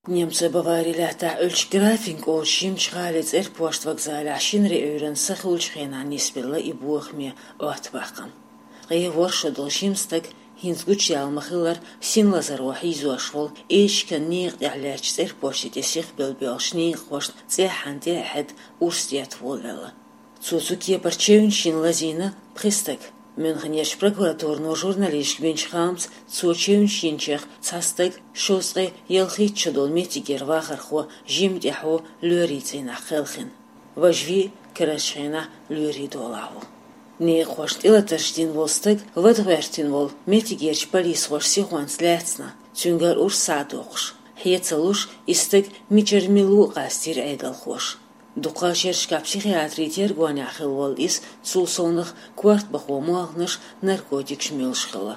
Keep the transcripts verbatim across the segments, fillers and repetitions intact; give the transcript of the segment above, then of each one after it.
Немцойн Бавари лаьттахь Ӏуьллучу Графинг олучу жимачу гӀалин цӀерпошт вокзалехь шина Ӏуьйранна сахиллачу хенахь нисбелла и бохаме Ӏоттабаккхам. Ткъе ворхӀ шо долу жима стаг, хӀинца гучуяьлла ма-хиллара, син лазаро хьийзош волу, эчиган некъа тӀехь лаьттачу цӀерпоште тӀе сихбелла боьлхучу некъахошна цӀеххьана тӀе а хьедда, урс детта волавелла. Цо цу кепара чевнаш йина лазийна пхи стаг. Мюнхенерчу прокуратуро журналисташка бинчу хаамца, цо чевнаш йинчех цхьа стаг шовзткъе ялхитта шо долу меттигера вахархо жимачу тӀаьхьо лоьрийн цӀийнахь кхелхина. Важа вий карарчу хенахь лоьрийн долахь ву. Некъахошна тӀелатарш дина волу стаг вадгӀертина волу меттигерчу полисхоша сихонца лаьцна, цуьнгара урс схьа а доккхуш. Хье ца луш, и стаг мичара мила ву а къастийра Ӏедалхоша. Дукха шерашкахь психиатрийн тергонехь хилла волу иза, цул совнаха корта бахо молханаш, наркотикаш муьлуш хилла.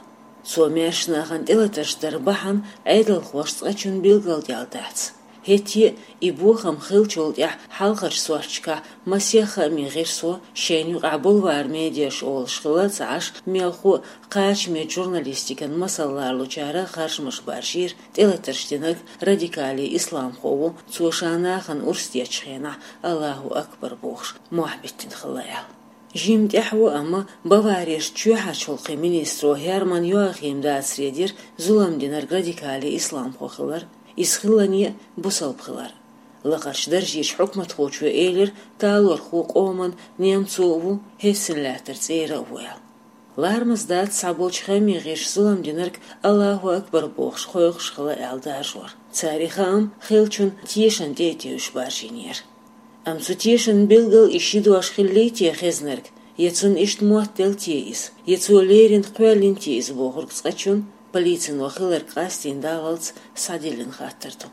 Цо маьршачу нахана тӀелатарш даран бахьана Ӏедалхоша цкъачунна билгалдаьлла дац. ХӀетте а и бохам хиллачул тӀаьхьа хьалхарчу сурташкахь масех хаамийн гӀирсо, шайна юкъахь бульвар медиаш олуш хилла ца Ӏаш, мелхо а кхачамечу журналистикан масал лоруьйтучара харжамаш баржийра, тӀелатарш динарг радикале исламхо ву, цо ша нахана урс деттачу хенахь «Аллаху акбар» бохуш, мохь биттина хилла аьлла. Жимма тӀаьхьо, амма Баварерчу чоьхьарчу гӀуллакхийн министро Херман Йоахима дацаре дира зулам динарг радикале исламхо хилар, иза хиллане а бусалба хилар. Лакхарчу даржерчу хьукматхочо элира, талорхо къоман немцо а ву, Хессен лаьттара цӀера а ву аьлла. Ларамаза дац цхьаболчу хаамийн гӀирсаша зулам динарг «Аллаху акбар» бохуш кхойкхуш хилла аьлла даржор. Церан хаам хиллачун тешан тӀе а тевжаш баржийнера. Амма цу тешанна билггал и ши дош хиллий те хезнарг, я цунна иштта мотт делла те иза, я цо леррина кхоьллина те иза бохург цкъачунна, полицино хилларг къастийна даллалц, схьадиллина хаттар ду.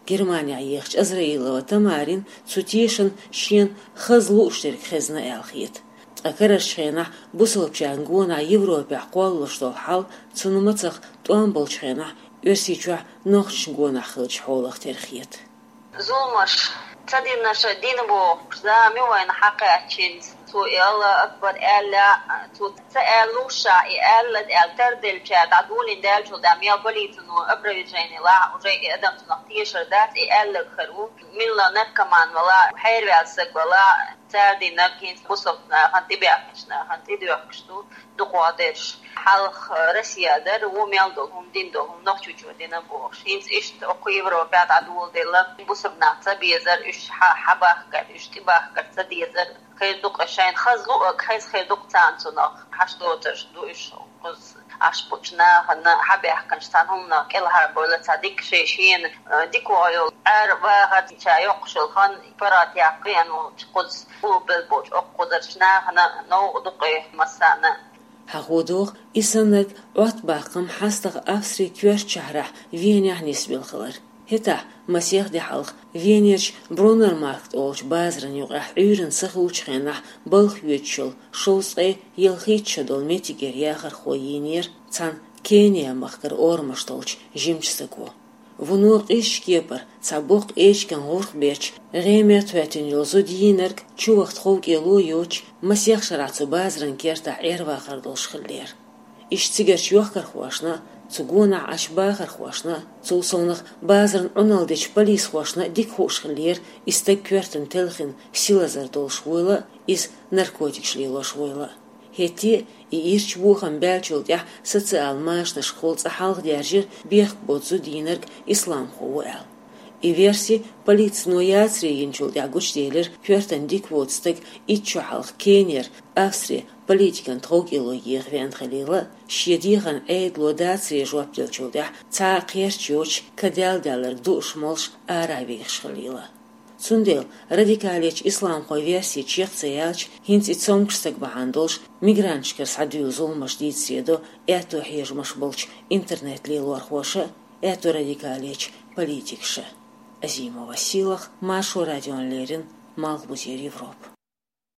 Германехь ехачу Азраилова Тамарина цу тешанна шена хаза лууш дерг хезна аьлла хета. Ткъа карарчу хенахь бусалбачарна гонахь Европехь кхоллалуш долу хьал цунна мацах тӀом болчу хенахь Оьрсийчохь нохчашна гонахь хиллачу хьолах тера хета. Зуламаш ца динарш дина бохуш, зама ю вайна хьакхаьччинца. Цо и «Аллаху акбар» аьлла, цо ца аьллуш ша и аьлла аьлла, тарделлачара дӀадолийна даьллачул тӀаьхьа мел полицино опровержение лахь, уже и адам цунах тешар дац, и аьлларг хир ву. Милла наркоман вала, хьерваьлла стаг вала, цара динарг хӀинца бусалба нахана, тӀебаьхкинчу нахана тӀедоьхкуш ду. Дукха дерш хьалха Россия дара, ву мел долу хӀума дина долу хӀума Нохчийчо дина бохуш. ХӀинца иштта окху Европехь дӀадоладелла, бусалба нах ца безар, уьш хьа-, хьабахкар, уьш тӀебахкар ца дезар. Хир ду-кх шайна хаза луъург, хаза хир ду-кх царна цунах. Хьаш доцурш ду уьш, кхуза Ӏаш болчу нахана, хьабаьхкинчу цхьана хӀуманах кӀелхьарбевлла, цхьа дика шен шена, э, дика вахар йолу, Ӏер вахар ша йоккхуш йолу хан паргӀат яккха веана волчу кхуза, уллохь болчу окху кхузарчу нахана новкъа ду-кх и массарна. Хьахо догӀу, и саннарг Ӏоттабаккхам хьастагӀа Австрин коьртачу шахьарахь Венехь нисбелла хилар. ХӀетахь масех де хьалха Венерчу Бруннермаркт олучу базаран юкъахь Ӏуьйранна сахиллачу хенахь балха йоьдуш йолу шовзткъе ялхитта шо долу меттигера яхархо йийнера цхьана Кения-махкара орамаш долчу жимачу стаго. Вуно къизачу кепара цхьа боккха эчиган гӀурх бетташ гӀеметтахӀоьттина йолу зуда йийнарг чуваха тховкӀело йоцуш, масех шарахь цу базаран кертахь Ӏер-вахар долуш хиллера. Иштта цигарчу йохкархошна а, цу гонахь Ӏаш бахархошна а, цул совнаха базарна Ӏуналла дечу полисхошна а дика хууш хиллера и стаг коьртана телхина син лазар долуш вуйла а, иза наркотикаш лелош вуйла а. ХӀетте а и ирча бохам баьллачул тӀаьхьа социал машанашкахула цкъа хьалхадаьржира бехк боцу зуда йийнарг исламхо ву аьлла. И верси полицино яцаре йинчул тӀаьхьа гучуделира, коьртана дика воцу стаг итт шо хьалха Кенера, Австре политикан тховкӀело еха веана хилийла а, шен дехарна Ӏедало дацаре жоп деллачул тӀаьхьа цхьа а кхерч йоцуш, кадел даьлларг дууш молуш, ара а вехаш хилийла а. Цундела радикалечу исламхойн верси чекх ца яьлча, хӀинца и цомгуш стаг бахьана долуш мигранташкара схьадуьйла зуламаш дийцаре до аьтто хьежамаш болчу интернет-лелорхоша а, аьтто радикалечу политикаша а. Азимова Сийлаха, Маршо радиона леррина, Малхбузера Европа.